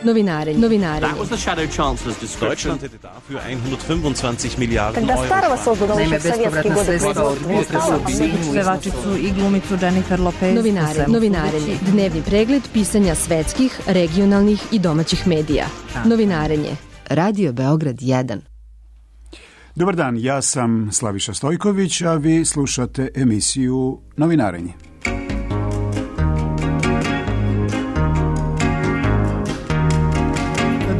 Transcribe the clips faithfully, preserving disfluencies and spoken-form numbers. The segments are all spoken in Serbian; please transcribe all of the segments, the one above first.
Novinarenje. Novinarenje. That was the shadow chancellor's description. Deutschland hätte dafür hundertfünfundzwanzig Milliarden Когда Euro. старого создано еще в советские годы Pevačicu i glumicu Jennifer Lopez. Novinare, novinarenje. Dnevni pregled pisanja svetskih, regionalnih i domaćih medija. Novinarenje. Radio Beograd jedan. Dobar dan, ja sam Slaviša Stojković, a vi slušate emisiju Novinarenje.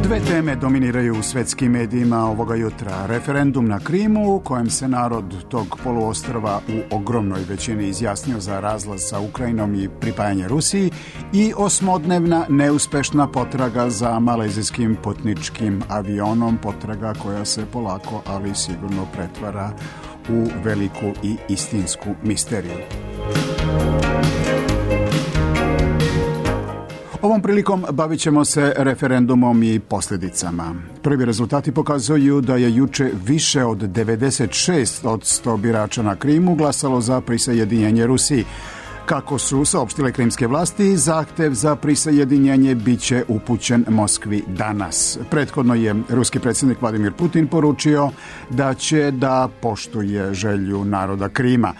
Dve teme dominiraju u svetskim medijima ovoga jutra. Referendum na Krimu, u kojem se narod tog poluostrva u ogromnoj većini izjasnio za razlaz sa Ukrajinom i pripajanje Rusiji, i osmodnevna neuspešna potraga za malezijskim putničkim avionom, potraga koja se polako, ali sigurno pretvara u veliku i istinsku misteriju. Ovom prilikom bavit ćemo se referendumom i posljedicama. Prvi rezultati pokazuju da je juče više od devedeset šest posto birača na Krimu glasalo za prisajedinjenje Rusiji. Kako su saopštile krimske vlasti, zahtev za prisajedinjenje bit će upućen Moskvi danas. Prethodno je ruski predsjednik Vladimir Putin poručio da će da poštuje želju naroda Krima.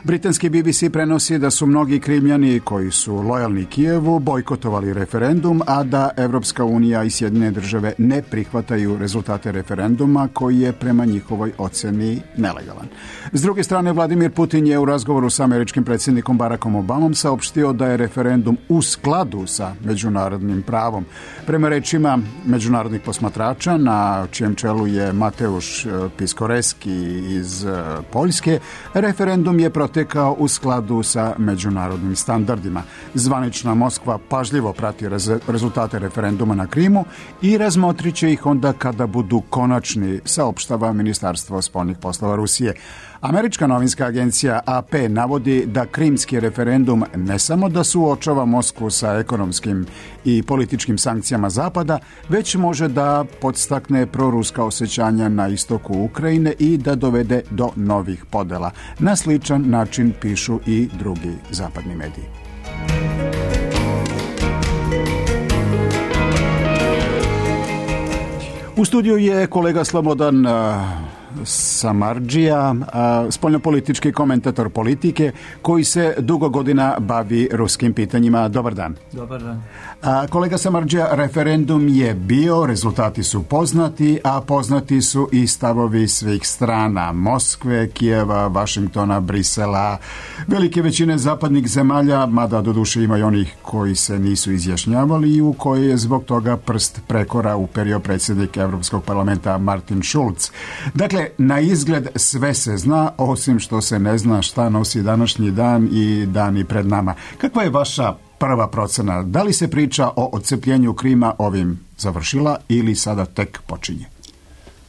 Britanski B B C prenosi da su mnogi Krimljani koji su lojalni Kijevu bojkotovali referendum, a da Evropska unija i Sjedinjene države ne prihvataju rezultate referenduma koji je prema njihovoj oceni nelegalan. S druge strane, Vladimir Putin je u razgovoru sa američkim predsjednikom Barackom Obamom saopštio da je referendum u skladu sa međunarodnim pravom. Prema rečima međunarodnih posmatrača, na čijem čelu je Mateusz Piskoreski iz Poljske, referendum je protekao u skladu sa međunarodnim standardima. Zvanična Moskva pažljivo prati rez- rezultate referenduma na Krimu i razmotrit će ih onda kada budu konačni, saopštava Ministarstvo spoljnih poslova Rusije. Američka novinska agencija A P navodi da krimski referendum ne samo da suočava Moskvu sa ekonomskim i političkim sankcijama Zapada, već može da podstakne proruska osjećanja na istoku Ukrajine i da dovede do novih podela. Na sličan način pišu i drugi zapadni mediji. U studiju je kolega Slobodan Samardžija, spoljnopolitički komentator politike koji se dugo godina bavi ruskim pitanjima. Dobar dan. Dobar dan. A, kolega Samardžija, referendum je bio, rezultati su poznati, a poznati su i stavovi svih strana. Moskve, Kijeva, Vašingtona, Brisela, velike većine zapadnih zemalja, mada doduše ima i onih koji se nisu izjašnjavali i u koje je zbog toga prst prekora uperio predsjednik Evropskog parlamenta Martin Schulz. Dakle, na izgled sve se zna, osim što se ne zna šta nosi današnji dan i dani pred nama. Kakva je vaša prva procena? Da li se priča o odcepljenju Krima ovim završila ili sada tek počinje?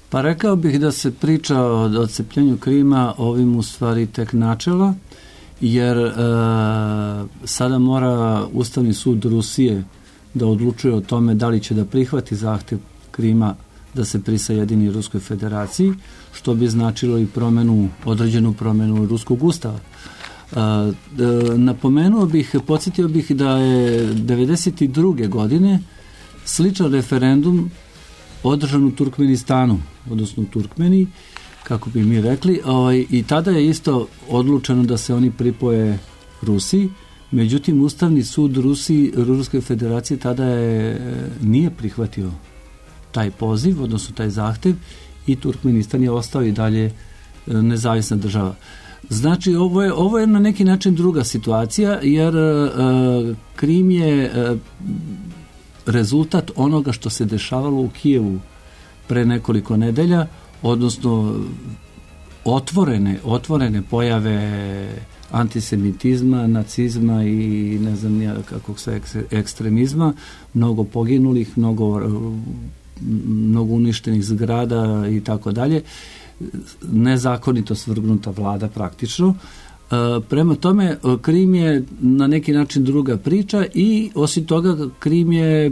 Pa rekao bih da se priča o odcepljenju Krima ovim u stvari tek načela, jer e, sada mora Ustavni sud Rusije da odlučuje o tome da li će da prihvati zahtev Krima da se prisajedini Ruskoj federaciji, što bi značilo i promenu, određenu promenu Ruskog ustava. A, e, napomenuo bih, podsjetio bih da je devedeset druge godine sličan referendum održan u Turkmenistanu, odnosno u Turkmeniji, kako bi mi rekli, ovaj, i tada je isto odlučeno da se oni pripoje Rusiji. Međutim, Ustavni sud Rusiji, Ruske federacije tada je nije prihvatio taj poziv, odnosno taj zahtev, i Turkmenistan je ostao i dalje nezavisna država. Znači, ovo je, ovo je na neki način druga situacija, jer uh, Krim je uh, rezultat onoga što se dešavalo u Kijevu pre nekoliko nedelja, odnosno otvorene, otvorene pojave antisemitizma, nacizma i ne znam ja kako se ekstremizma, mnogo poginulih, mnogo mnogo uništenih zgrada i tako dalje, nezakonito svrgnuta vlada praktično. E, prema tome, Krim je na neki način druga priča i osim toga Krim je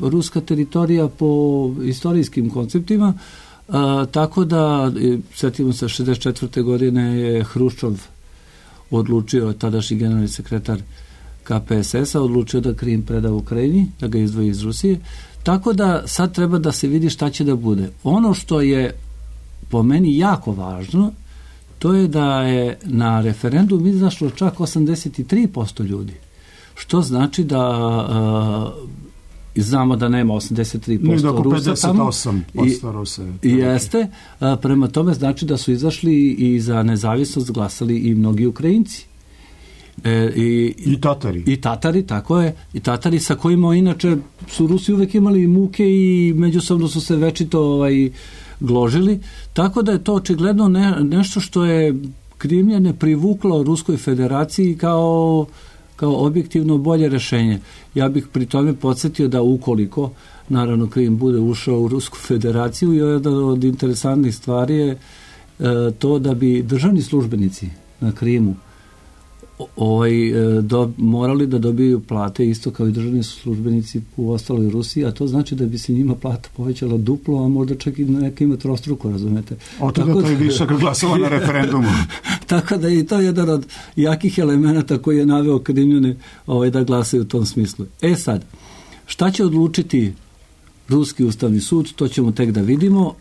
ruska teritorija po istorijskim konceptima, e, tako da, sjetimo se, šezdeset četvrte godine je Hruščov odlučio, tadašnji generalni sekretar K P S S-a, odlučio da Krim preda Ukrajini, da ga izdvoji iz Rusije. Tako da sad treba da se vidi šta će da bude. Ono što je po meni jako važno, to je da je na referendum izašlo čak osamdeset tri posto ljudi. Što znači da uh, znamo da nema osamdeset tri posto Rusa pedeset osam posto Rusa. Jeste. Uh, prema tome znači da su izašli i za nezavisnost glasali i mnogi Ukrajinci. E, i, I Tatari. I Tatari, tako je. I Tatari sa kojima inače su Rusi uvek imali muke i međusobno su se večito ovaj, gložili. Tako da je to očigledno ne, nešto što je Krimljane privuklo Ruskoj federaciji kao, kao objektivno bolje rešenje. Ja bih pri tome podsjetio da ukoliko naravno Krim bude ušao u Rusku federaciju, i jedna od interesantnih stvari je e, to da bi državni službenici na Krimu ovaj, do, morali da dobiju plate isto kao i državni službenici u ostaloj Rusiji, a to znači da bi se njima plata povećala duplo, a možda čak i nekima trostruko, razumete? Oto da to je višak glasova na referendumu. Tako da je i to jedan od jakih elemenata koji je naveo Krimljane ovaj, da glasaju u tom smislu. E sad, šta će odlučiti Ruski ustavni sud, to ćemo tek da vidimo,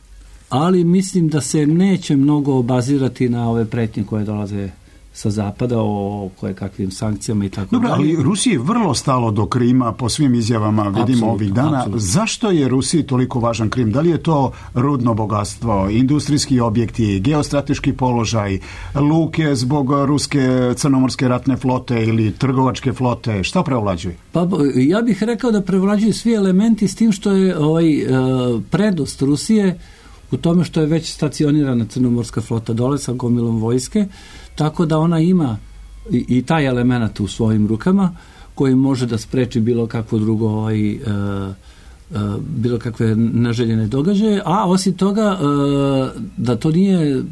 ali mislim da se neće mnogo obazirati na ove pretnje koje dolaze sa zapada o koje kakvim sankcijama i tako Dobro, dalje. ali Rusiji je vrlo stalo do Krima po svim izjavama, vidimo absolutno, ovih dana. Absolutno. Zašto je Rusiji toliko važan Krim? Da li je to rudno bogatstvo, industrijski objekti, geostrateški položaj, luke zbog ruske crnomorske ratne flote ili trgovačke flote? Šta prevlađuje? Pa ja bih rekao da prevlađuju svi elementi s tim što je ovaj, prednost Rusije u tome što je već stacionirana crnomorska flota dole sa gomilom vojske, tako da ona ima i, i taj element u svojim rukama koji može da spreči bilo kakvo drugo ovaj, e, e, bilo kakve neželjene događaje, a osim toga e, da to nije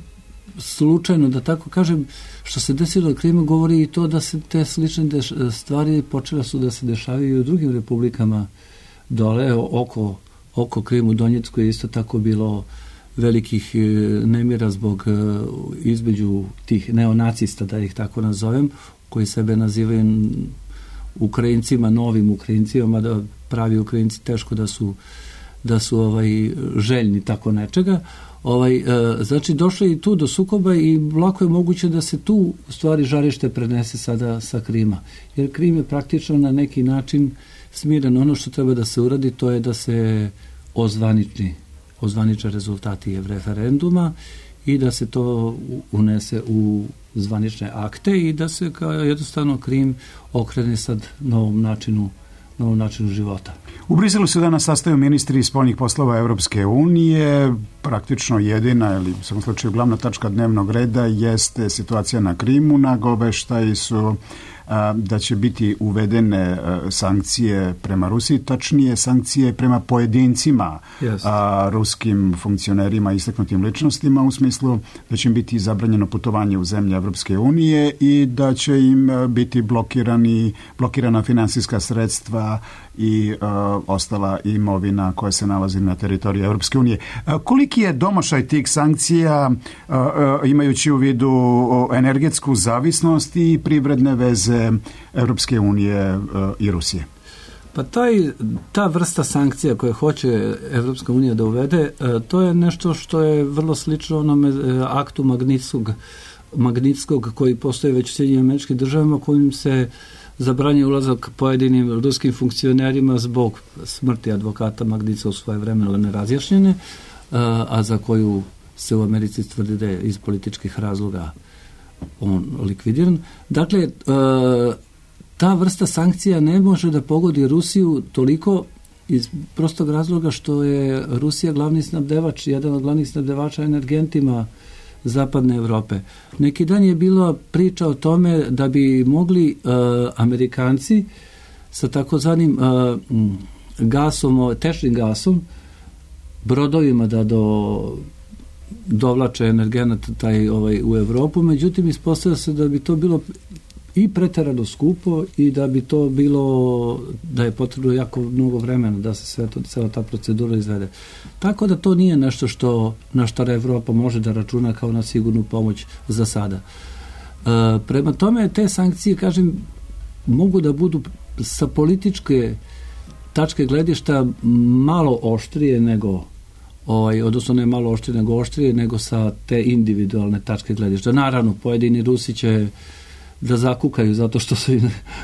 slučajno, da tako kažem, što se desilo u Krimu govori i to da se te slične deš, stvari počele su da se dešavaju i u drugim republikama dole, oko, oko Krimu, Donjecku je isto tako bilo velikih nemira zbog između tih neonacista, da ih tako nazovem, koji sebe nazivaju Ukrajincima, novim Ukrajincima, da pravi Ukrajinci teško da su da su ovaj željni tako nečega. Ovaj, znači došlo je i tu do sukoba i lako je moguće da se tu u stvari žarište prenese sada sa Krima. Jer Krim je praktično na neki način smiren. Ono što treba da se uradi, to je da se ozvaniči ozvaniče rezultati referenduma i da se to unese u zvanične akte i da se kao jednostavno Krim okrene sad novom načinu, novom načinu života. U Briselu se danas sastaju ministri spoljnih poslova Evropske unije. Praktično jedina, ili u svakom slučaju glavna tačka dnevnog reda jeste situacija na Krimu. Nagoveštaji su da će biti uvedene sankcije prema Rusiji, tačnije sankcije prema pojedincima, yes. a, ruskim funkcionerima i istaknutim ličnostima, u smislu da će im biti zabranjeno putovanje u zemlje Evropske unije i da će im biti blokirani, blokirana finansijska sredstva i a, ostala imovina koja se nalazi na teritoriji Evropske unije. A, koliki je domašaj tih sankcija, a, a, imajući u vidu energetsku zavisnost i privredne veze Evropske unije i Rusije? Pa taj, ta vrsta sankcija koje hoće Evropska unija da uvede, to je nešto što je vrlo slično onome aktu Magnitskog, Magnitskog koji postoje već u Sjedinjenim Američkim Državama, kojim se zabranjuje ulazak pojedinim ruskim funkcionerima zbog smrti advokata Magnitskog svoje vremena nerazjašnjene, a za koju se u Americi tvrdi da je iz političkih razloga on likvidiran. Dakle, ta vrsta sankcija ne može da pogodi Rusiju toliko iz prostog razloga što je Rusija glavni snabdevač, jedan od glavnih snabdevača energentima zapadne Evrope. Neki dan je bila priča o tome da bi mogli uh, Amerikanci sa takozvanim uh, gasom, tečnim gasom, brodovima da do dovlače energenat taj ovaj u Evropu, međutim ispostavlja se da bi to bilo i preterano skupo i da bi to bilo, da je potrebno jako mnogo vremena da se sve to, cela ta procedura izvede. Tako da to nije nešto što, na što Evropa može da računa kao na sigurnu pomoć za sada. E, prema tome, te sankcije, kažem, mogu da budu sa političke tačke gledišta malo oštrije nego ovaj, odnosno ne malo oštrije nego oštrije nego sa te individualne tačke gledišta. Naravno, pojedini Rusi će da zakukaju zato što su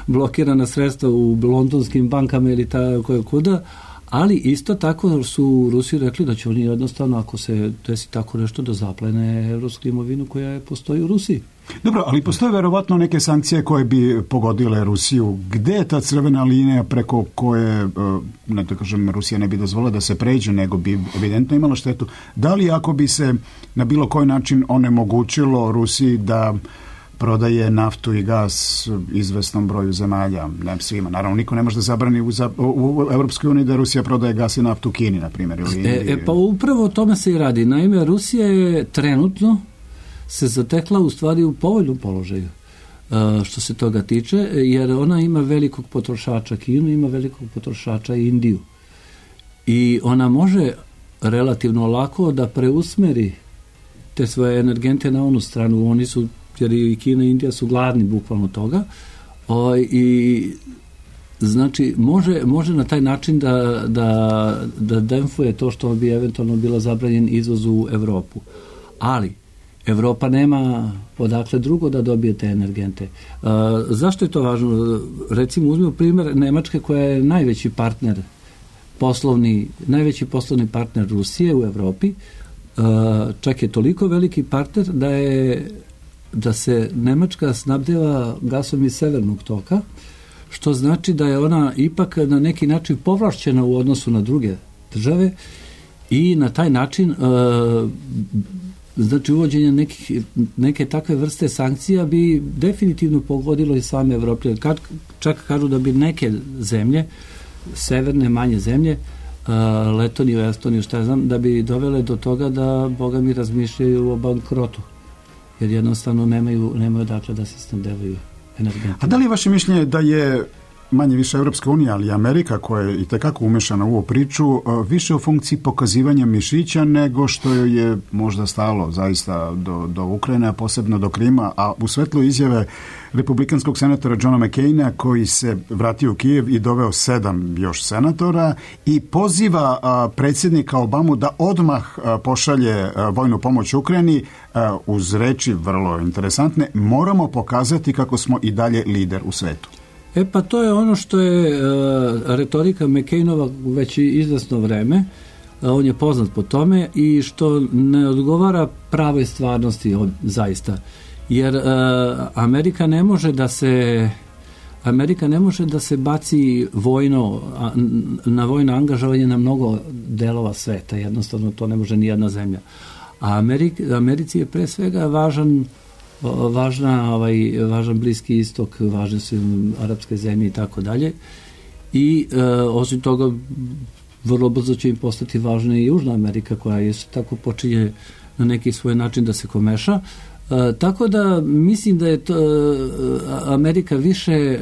blokirana sredstva u londonskim bankama ili tako kuda, ali isto tako su Rusi rekli da će oni jednostavno, ako se desi tako nešto, da zaplene evropsku imovinu koja postoji u Rusiji. Dobro, ali postoje verovatno neke sankcije koje bi pogodile Rusiju. Gde je ta crvena linija preko koje, ne da kažem, Rusija ne bi dozvolila da se pređe, nego bi evidentno imala štetu? Da li ako bi se na bilo koji način onemogućilo Rusiji da prodaje naftu i gas izvesnom broju zemalja, ne svima. Naravno, niko ne može da zabrani u, u Evropskoj uniji da Rusija prodaje gas i naftu Kini, na primjer. Ili, e, e, pa upravo o tome se i radi. Naime, Rusija je trenutno se zatekla u stvari u povoljnom položaju uh, što se toga tiče, jer ona ima velikog potrošača Kinu, ima velikog potrošača Indiju. I ona može relativno lako da preusmeri te svoje energente na onu stranu. Oni su, jer i Kina i Indija su gladni bukvalno toga, o, i znači može, može na taj način da, da, da demfuje to što bi eventualno bilo zabranjen izvoz u Evropu. Ali Evropa nema odakle drugo da dobije te energente. Uh, zašto je to važno? Recimo, uzmimo primjer Nemačke, koja je najveći partner poslovni, najveći poslovni partner Rusije u Evropi. Uh, čak je toliko veliki partner da je da se Nemačka snabdeva gasom iz severnog toka, što znači da je ona ipak na neki način povlašćena u odnosu na druge države i na taj način uh, znači uvođenje nekih, neke takve vrste sankcija bi definitivno pogodilo i same Evroplje. Kad, čak kažu da bi neke zemlje, severne, manje zemlje, uh, Letoniju, Estoniju, šta znam, da bi dovele do toga da, boga mi, razmišljaju o bankrotu. Jer jednostavno nemaju, nemaju dakle da se snabdevaju energentima. A da li je vaše mišljenje da je manje više Evropska unija, ali i Amerika, koja je i tekako umešana u ovu priču, više u funkciji pokazivanja mišića nego što je možda stalo zaista do, do Ukrajine, a posebno do Krima, a u svetlu izjave republikanskog senatora Johna McCaina, koji se vratio u Kijev i doveo sedam još senatora i poziva a, predsjednika Obamu da odmah a, pošalje a, vojnu pomoć Ukrajini, a, uz reči vrlo interesantne: moramo pokazati kako smo i dalje lider u svetu. E pa to je ono što je uh, retorika McCainova već izvesno vreme, uh, on je poznat po tome i što ne odgovara pravoj stvarnosti od, zaista, jer uh, Amerika ne može da se Amerika ne može da se baci vojno, a, na vojno angažovanje na mnogo delova sveta, jednostavno to ne može ni jedna zemlja. A Amerik, Americi je pre svega važan važna, ovaj, važan Bliski istok, važne su arapske zemlje i tako dalje. I e, osim toga vrlo brzo će im postati važna i Južna Amerika, koja je tako počinje na neki svoj način da se komeša. E, tako da mislim da je to, e, Amerika više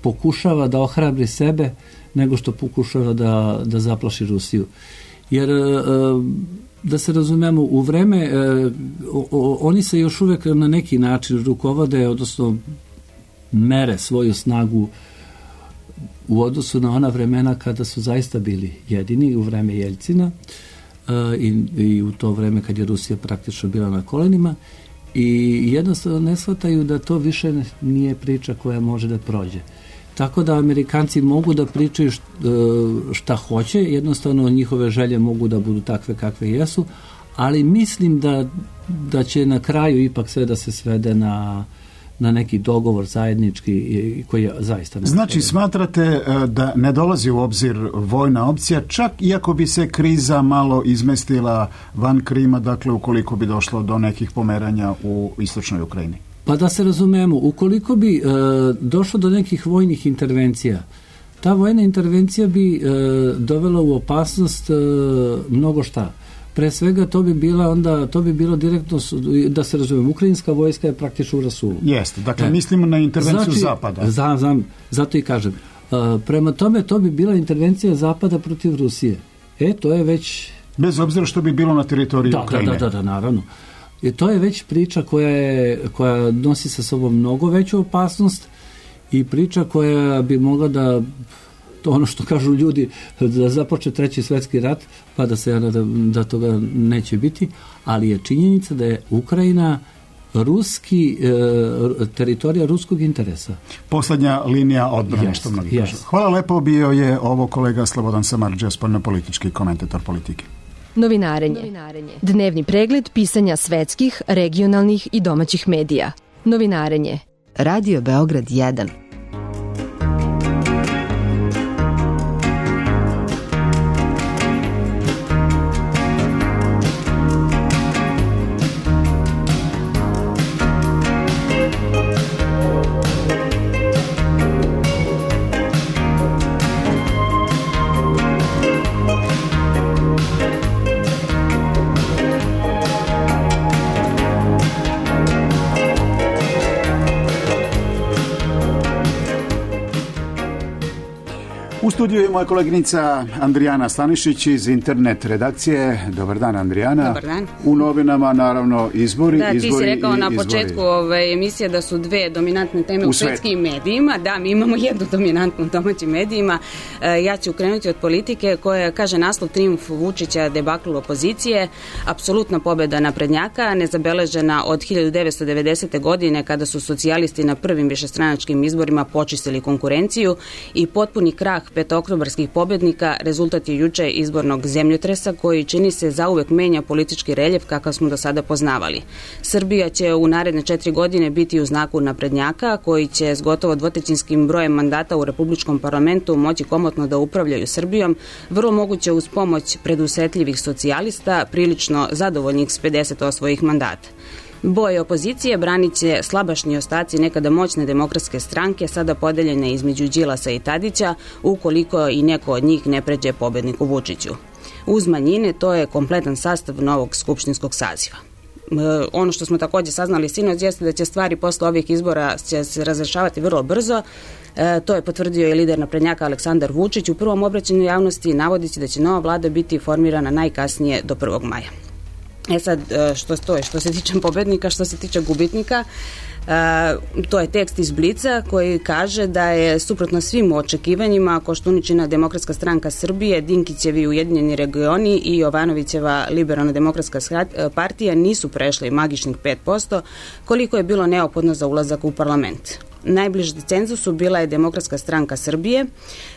pokušava da ohrabri sebe nego što pokušava da, da zaplaši Rusiju. Jer e, da se razumemo, u vreme e, o, o, oni se još uvek na neki način rukovode, odnosno mere svoju snagu u odnosu na ona vremena kada su zaista bili jedini, u vreme Jeljcina e, i, i u to vreme kad je Rusija praktično bila na kolenima, i jednostavno ne shvataju da to više nije priča koja može da prođe. Tako da Amerikanci mogu da pričaju šta hoće, jednostavno njihove želje mogu da budu takve kakve jesu, ali mislim da, da će na kraju ipak sve da se svede na, na neki dogovor zajednički koji je zaista ne. Znači, smatrate da ne dolazi u obzir vojna opcija, čak iako bi se kriza malo izmestila van Krima, dakle ukoliko bi došlo do nekih pomeranja u istočnoj Ukrajini? Pa da se razumemo, ukoliko bi e, došlo do nekih vojnih intervencija, ta vojna intervencija bi e, dovela u opasnost e, mnogo šta. Pre svega to bi bila onda, to bi bilo direktno, da se razumemo, ukrajinska vojska je praktično u rasulu. Jeste, dakle e, mislimo na intervenciju znači, Zapada. Znam, znam, zato i kažem. E, prema tome to bi bila intervencija Zapada protiv Rusije. E, to je već... Bez obzira što bi bilo na teritoriji da, Ukrajine. Da, da, da, naravno. I to je već priča koja, je, koja nosi sa sobom mnogo veću opasnost i priča koja bi mogla da to ono što kažu ljudi, da započe treći svetski rat, pa da se ja nadam da toga neće biti, ali je činjenica da je Ukrajina ruski, e, teritorija ruskog interesa. Poslednja linija odbrane, yes, što mnogi yes. kažu. Hvala lepo, bio je ovo kolega Slobodan Samardžija, spoljnopolitički komentator politike. Novinarenje. Novinarenje. Dnevni pregled pisanja svetskih, regionalnih i domaćih medija. Novinarenje. Radio Beograd jedan. U studiju je moja koleginica Andrijana Stanišić iz internet redakcije. Dobar dan, Andrijana. Dobar dan. U novinama, naravno, izbori. Da, ti izbori si rekao na izbori. početku ove emisije da su dve dominantne teme u, u svetskim medijima. Da, mi imamo jednu dominantnu u domaćim medijima. E, ja ću krenuti od politike koja kaže naslov Trijumf Vučića, debakl opozicije, apsolutna pobeda naprednjaka, nezabeležena od hiljadu devetsto devedesete. godine kada su socijalisti na prvim višestranačkim izborima počistili konkurenciju i potpuni krah petooktobarskih pobednika rezultat je juče izbornog zemljotresa koji čini se zauvek menja politički reljef kakav smo do sada poznavali. Srbija će u naredne četiri godine biti u znaku naprednjaka koji će s gotovo dvotrećinskim brojem mandata u Republičkom parlamentu moći komotno da upravljaju Srbijom, vrlo moguće uz pomoć predusretljivih socijalista, prilično zadovoljnih s pedeset osvojih mandata. Boje opozicije branit će slabašni ostaci nekada moćne demokratske stranke, sada podeljene između Đilasa i Tadića, ukoliko i neko od njih ne pređe pobedniku Vučiću. Uz manjine, to je kompletan sastav novog skupštinskog saziva. E, ono što smo također saznali sinoć jeste da će stvari posle ovih izbora će se razrešavati vrlo brzo. E, to je potvrdio i lider naprednjaka Aleksandar Vučić u prvom obraćanju javnosti, navodeći da će nova vlada biti formirana najkasnije do prvog maja. E sad, što stoje, što se tiče pobednika, što se tiče gubitnika, to je tekst iz Blica koji kaže da je suprotno svim očekivanjima Koštuničina Demokratska stranka Srbije, Dinkićevi Ujedinjeni regioni i Jovanovićeva Liberalna demokratska partija nisu prešli magičnih pet posto koliko je bilo neophodno za ulazak u parlament. Najbliže cenzusu bila je Demokratska stranka Srbije.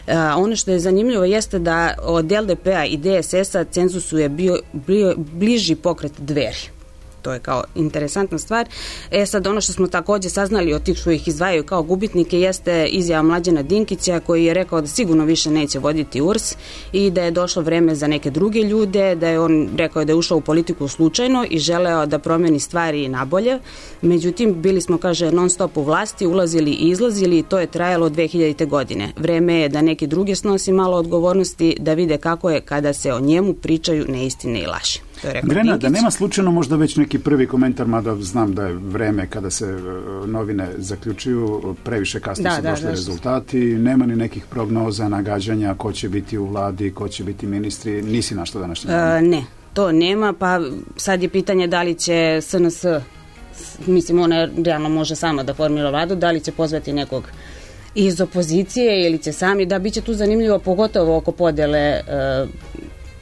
E, ono što je zanimljivo jeste da od L D P-a i D S S-a cenzusu je bio, bio bliži pokret Dveri. To je kao interesantna stvar. E sad, ono što smo također saznali od tih što ih izdvajaju kao gubitnike jeste izjava Mlađana Dinkića koji je rekao da sigurno više neće voditi U R S i da je došlo vreme za neke druge ljude, da je on rekao da je ušao u politiku slučajno i želeo da promeni stvari nabolje. Međutim, bili smo, kaže, non stop u vlasti, ulazili i izlazili i to je trajalo od dve hiljadite. godine. Vreme je da neki drugi snosi malo odgovornosti, da vide kako je kada se o njemu pričaju neistine i laži. Grena, da nema slučajno možda već neki prvi komentar, mada znam da je vreme kada se novine zaključuju, previše kasno su došli rezultati, nema ni nekih prognoza, nagađanja ko će biti u vladi, ko će biti ministri, nisi našla današnje? E, ne, to nema, pa sad je pitanje da li će S N S, mislim ona realno može sama da formira vladu, da li će pozvati nekog iz opozicije ili će sami, da biće tu zanimljivo pogotovo oko podele e,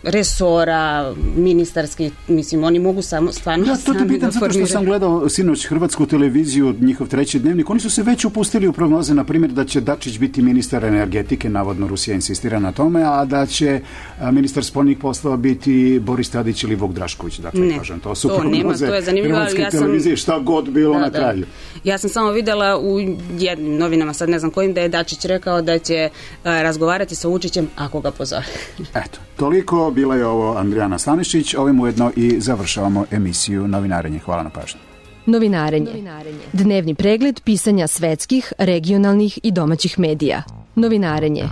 resora, ministarski, mislim, oni mogu samo, stvarno ja, sami da formiraju. Zato što sam gledao sinoć Hrvatsku televiziju, njihov treći dnevnik, oni su se već upustili u prognoze, na primjer, da će Dačić biti ministar energetike, navodno Rusija insistira na tome, a da će a, ministar spoljnih poslova biti Boris Tadić ili Vuk Drašković. Dakle, ne, kažem, to su to prognoze nema, to je Hrvatske ja sam, televizije, šta god bilo da, na da. kraju. Ja sam samo videla u jednim novinama, sad ne znam kojim, da je Dačić rekao da će a, razgovarati sa Vučićem ako ga pozove. Eto, toliko, bila je ovo Andrijana Stanišić, ovim ujedno i završavamo emisiju Novinarenje. Hvala na pažnju. Novinarenje. Novinarenje. Dnevni pregled pisanja svetskih, regionalnih i domaćih medija. Novinarenje.